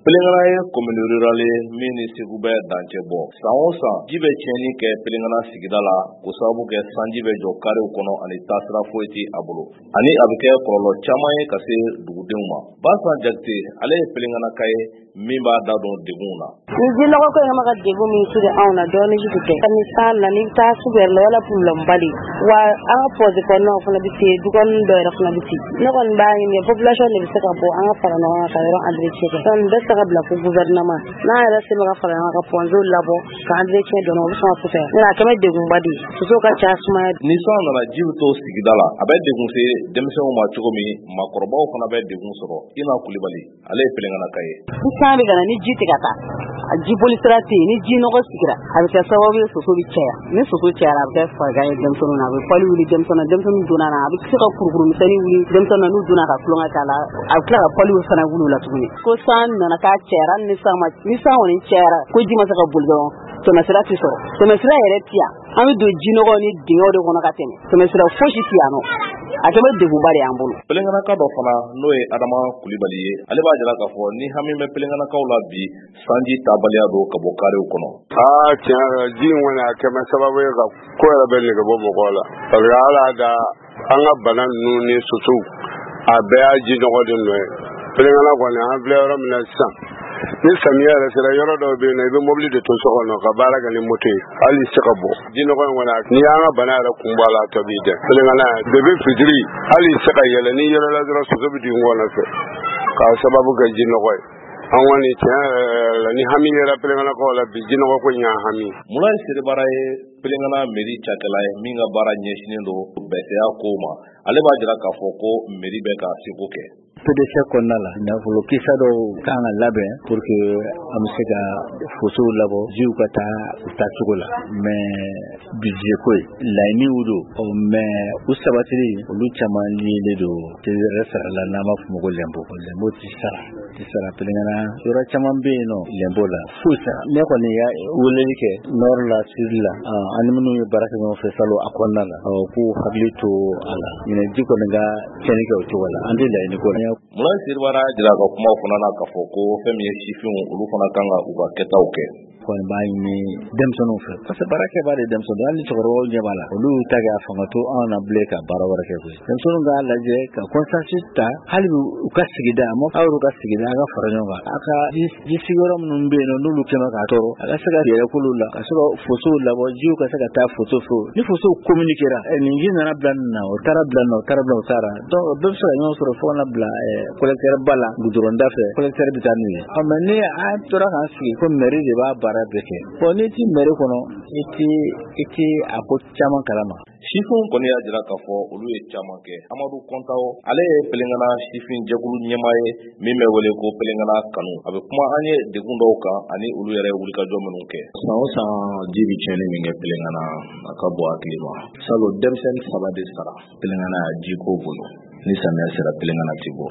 Pelengana ye commune rurale ye min ni Segu bɛ dancɛ bɔ. San o san, ji bɛ tiɲɛni kɛ Pelengana sigida la k'o sababu kɛ sanji bɛ jɔ karew kɔnɔ ani taasira foyi tɛ a bolo. Ani a bɛ kɛ kɔlɔlɔ caman ye ka se dugudenw ma. Basan Jakite, ale ye Pelenganaka ye min b'a da don degunw na. Ni jinɔgɔ ko in ma ka degun min siri anw na, dɔɔnin ji tɛ. Ni san nana, i bɛ taa sugu yɛrɛ la, wala problème de. Wa an ka fosse kɔnɔnaw fana bɛ se, du kɔnɔ dɔw yɛrɛ fana bɛ se. Ne kɔni b'a ɲini population de bɛ se ka bɔ, an ka fara ɲɔgɔn kan ka yɔrɔ entretien kɛ. Donc bɛɛ se ka bila fo gouvernement. N'an yɛrɛ se ka fara ɲɔgɔn kan ka poncew labɔ ka entretien dɔɔnin, o bɛ sɔn ka fisaya. N'o tɛ a kɛ bɛ degunba de ye. Sosow ka ca, sumaya. Ni san nana, ji bɛ to sigida la, a bɛ degun se denmisɛnw ma cogo min, maakɔrɔbaw fana bɛ degun sɔrɔ. Ina Kulibali, ale ye Pelenganaka ye. Ni san bɛ ka na, ni ji tɛ ka taa, a ji boli sira tɛ yen, ni ji nɔgɔ sigira, a bɛ kɛ sababu ye soso bɛ caya. Ni soso cayara, a bɛ kɛ farigan ye denmisɛnninw na, a bɛ pali wuli denmisɛnninw na, denmisɛnninw donna na, a bɛ se ka kurukuru misɛnnin wuli denmisɛnninw na, n'u donna ka tulonkɛ k'a la, a bɛ tila ka paliw fana wuli u la tuguni. Ko san nana k'a cayara, ni san ma, ni san kɔni cayara, ko ji ma se ka boli dɔrɔn, tɛmɛsira tɛ sɔrɔ. Tɛmɛsira yɛrɛ tɛ yan. An bɛ don jinɔgɔ ni dingɛw de kɔnɔ ka tɛmɛ. Tɛmɛsira fosi tɛ yan nɔ. A kɛ bɛ degunba de y'an bolo. Pelenganaka dɔ fana, n'o ye Adama Kulibali ye, ale b'a jira k'a fɔ ni hami bɛ Pelenganakaw la bi, sanji tabaliya don ka bɔ karew kɔnɔ. Aa, tiɲɛ yɛrɛ la, ji in kɔni a kɛ bɛ sababu ye ka ko yɛrɛ bɛ nege bɔ mɔgɔw la. Parce que ala da an ka bana ninnu ni sosow, a bɛɛ y'a ji nɔgɔ de nɔ ye. Pelengana kɔni, an filɛ yɔrɔ min na sisan, ni samiya yɛrɛ sera, yɔrɔ dɔw bɛ yen nɔ, i bɛ mobili de to so kɔnɔ ka baara kɛ ni moto ye, hali se ka bɔ. Ji nɔgɔ in kɔni, n'i y'an ka bana yɛrɛ kun bɔ a la, a tɔ b'i dɛn. Pelengana depuis fitiri, hali se ka yɛlɛ, n'i yɛlɛla dɔrɔn, soso bɛ don i kɔnɔ fɛ k'a sababu kɛ ji nɔgɔ ye. An kɔni, tiɲɛ yɛrɛ la, ni hami yɛrɛ Pelenganakaw la bi, ji nɔgɔ ko in y'an hami. Mulayi Serebara ye Pelengana mairie cakɛla ye min ka baara ɲɛsinnen don bɛsɛya kow ma. Ale b'a jira k'a fɔ ko mairie bɛ ka seko kɛ. PDC kɔnɔna la, nafolo kisa dɔw kan ka labɛn pour que an bɛ se ka fossew labɔ, jiw ka taa u taacogo la. Mais budget ko ye laɲiniw don, mais u sabatili, olu caman liélen don yɛrɛ sara la, n'an b'a fɔ o ma ko l'impôt. L'impôt tɛ sara, tɛ sara Pelengana. Yɔrɔ caman bɛ yen nɔ, l'impôt la foyi sara. Ne kɔni ya weleli kɛ nord la, sud la, ani minnu ye baara kɛ ɲɔgɔn fɛ salon a kɔnɔna la, k'u hakili to a la. Ɲinɛ ji kɔni ka tiɲɛni kɛ o cogo la, an tɛ laɲini ko la. Mulayi Serebara y'a jira a ka kumaw fana na k'a fɔ ko fɛn min ye sifinw, olu fana kan ka u ka kɛtaw kɛ. Kɔni b'a ɲini denmisɛnninw fɛ, parce que baarakɛbaa de denmisɛnninw, hali ni cɛkɔrɔbaw ɲɛ b'a la, olu y'u ta kɛ, a fanga to anw na bilen ka baara wɛrɛ kɛ koyi. Denmisɛnninw k'a lajɛ ka conscience ta, hali u ka sigida, a ma aw yɛrɛ ka sigida, a ka fara ɲɔgɔn kan, a ka ji sigiyɔrɔ minnu bɛ yen nɔ, n'olu kɛmɛ k'a tɔɔrɔ, a ka se ka yɛrɛ k'olu la, ka se ka fossow labɔ, jiw ka se ka taa fosso fɛ. Ni fossow communiquera, nin ji nana bila nin na, o taara bila nin na, o taara bila, o taara, donc bɛɛ bɛ se ka ɲɔgɔn sɔrɔ fo ka na bila collecteur ba la, goudron da fɛ, collecteur bɛ taa n'u ye. Mais ni an tora k'an sigi ko mairie de b'a baara bɛɛ kɛ, bon, n'i ti mairie kɔnɔ, i ti a ko caman kalama. Sifinw kɔni y'a jira k'a fɔ olu ye caman kɛ. Amadu Kɔntawo, ale ye Pelengana sifin jɛkulu ɲɛmaa ye min bɛ wele ko Pelengana kanu. A bɛ kuma an ye degun dɔw kan ani olu yɛrɛ ye wulikajɔ minnu kɛ. San o san, ji bɛ tiɲɛni min kɛ Pelengana, a ka bon hakili ma. Salon, denmisɛnnin 3 de sara Pelengana jiko bolo. Ni samiya sera, Pelengana ti bɔ.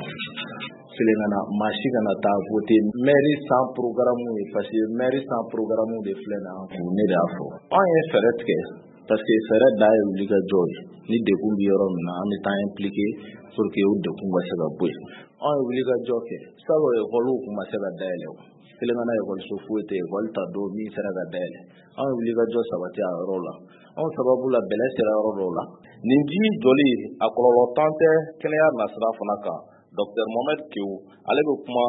Pelengana, maa si kana taa voter maire sans programme ye, parce que maire sans programme de filɛ nin an kun. Ne de y'a fɔ, anw ye fɛɛrɛ tigɛ, parce que fɛɛrɛ dan ye wulikajɔ ye. Ni degun bɛ yɔrɔ min na, an bɛ taa impliqué pour que o degun ka se ka bɔ yen. Anw ye wulikajɔ kɛ. Salon, ekɔliw kun ma se ka dayɛlɛ. O Pelengana, ekɔliso foyi tɛ ekɔli ta don min sera ka dayɛlɛ. Anw ye wulikajɔ sabati a yɔrɔ la. Anw sababu la, bɛlɛ sera yɔrɔ dɔw la. Nin ji jɔli, a kɔlɔlɔ tan tɛ kɛnɛya nasira fana kan. Docteur Mohamed Kewu, ale bɛ kuma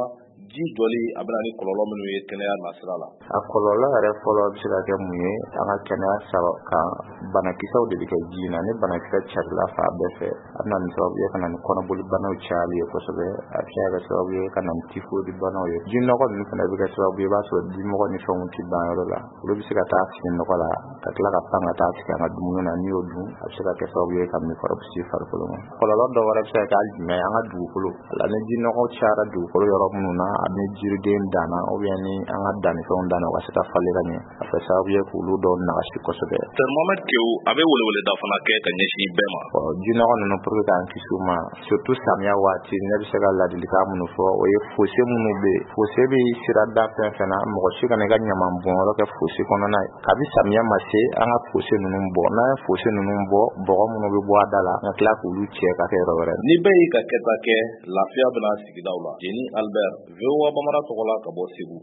ji jɔli, a bɛna ni kɔlɔlɔ minnu ye kɛnɛya nasira la. A kɔlɔlɔ yɛrɛ fɔlɔ bɛ se ka kɛ mun ye an ka kɛnɛya saba kan? Banakisɛw de bɛ kɛ ji in na. Ni banakisɛ carila fan bɛɛ fɛ, a bɛ na ni sababu ye ka na ni kɔnɔboli banaw cayali ye kosɛbɛ. A bɛ se ka kɛ sababu ye ka na ni typhoïde banaw ye. Ji nɔgɔ ninnu fana bɛ kɛ sababu ye, i b'a sɔrɔ dimɔgɔ ni fɛnw tɛ ban yɔrɔ la, olu bɛ se ka taa sigi nɔgɔ la ka tila ka pan ka taa sigi an ka dumuni na. N'i y'o dun, a bɛ se ka kɛ sababu ye ka microbe se farikolo ma. Kɔlɔlɔ dɔ wɛrɛ bɛ se ka kɛ hali jumɛn ye? An ka dugukolo la, ni ji nɔgɔ cayara dugukolo yɔrɔ minnu na, ni jiriden danna ou bien ni an ka dannifɛnw danna, u ka se ka falen ka ɲɛ, a fɛ sababu ye k'olu dɔw nagasi kosɛbɛ. Docteur Mohamed Kewu, a bɛ weleweleda fana kɛ ka ɲɛsin bɛɛ ma. Ji nɔgɔ ninnu, pour que k'an kisi u ma, surtout samiya waati, ne bɛ se ka ladilikan minnu fɔ, o ye fossé minnu bɛ yen, fossé bɛ sirada fɛn fɛn na, mɔgɔ si kana i ka ɲaman bɔnyɔrɔ kɛ fossé kɔnɔna ye. Kabi samiya ma se, an ka fossé ninnu bɔ. N'an ye fossé ninnu bɔ, bɔgɔ minnu bɛ bɔ a da la, ka tila k'olu cɛ ka kɛ yɔrɔ wɛrɛ. Ni bɛɛ y'i ka kɛta kɛ, lafiya bɛna sigidaw la. Jeni Albert. VOA Bambara tɔgɔ la ka bɔ Segu.